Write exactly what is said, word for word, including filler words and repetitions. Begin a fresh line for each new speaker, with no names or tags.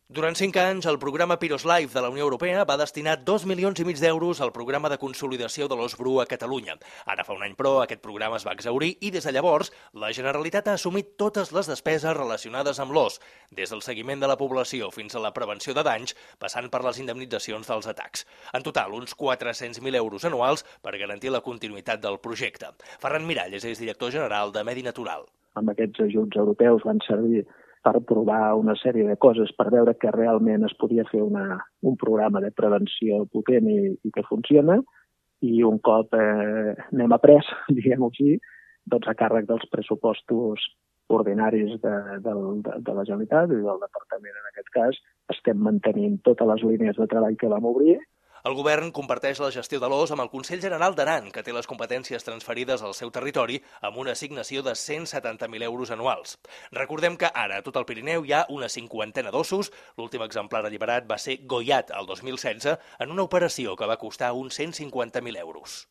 Durant cinc anys, el programa Piros Life de la Unió Europea va destinar dos milions i mig d'euros al programa de consolidació de l'os bru a Catalunya. Ara fa un any, però, aquest programa es va exhaurir i des de llavors la Generalitat ha assumit totes les despeses relacionades amb l'os, des del seguiment de la població fins a la prevenció de danys, passant per les indemnitzacions dels atacs. En total, uns quatre-cents mil euros anuals per garantir la continuïtat del projecte. Ferran Miralles és director general de Medi Natural.
Amb aquests ajuts europeus van servir per provar una sèrie de coses, per veure que realment es podia fer una, un programa de prevenció potent i, i que funciona, i un cop eh, n'hem après, diguem-ho així, doncs a càrrec dels pressupostos ordinaris de, de, de, de la Generalitat i del Departament, en aquest cas, estem mantenint totes les línies de treball que vam obrir.
El govern comparteix la gestió de l'os amb el Consell General d'Aran, que té les competències transferides al seu territori amb una assignació de cent setanta mil euros anuals. Recordem que ara a tot el Pirineu hi ha una cinquantena d'ossos. L'últim exemplar alliberat va ser goiat el dos mil setze en una operació que va costar uns cent cinquanta mil euros.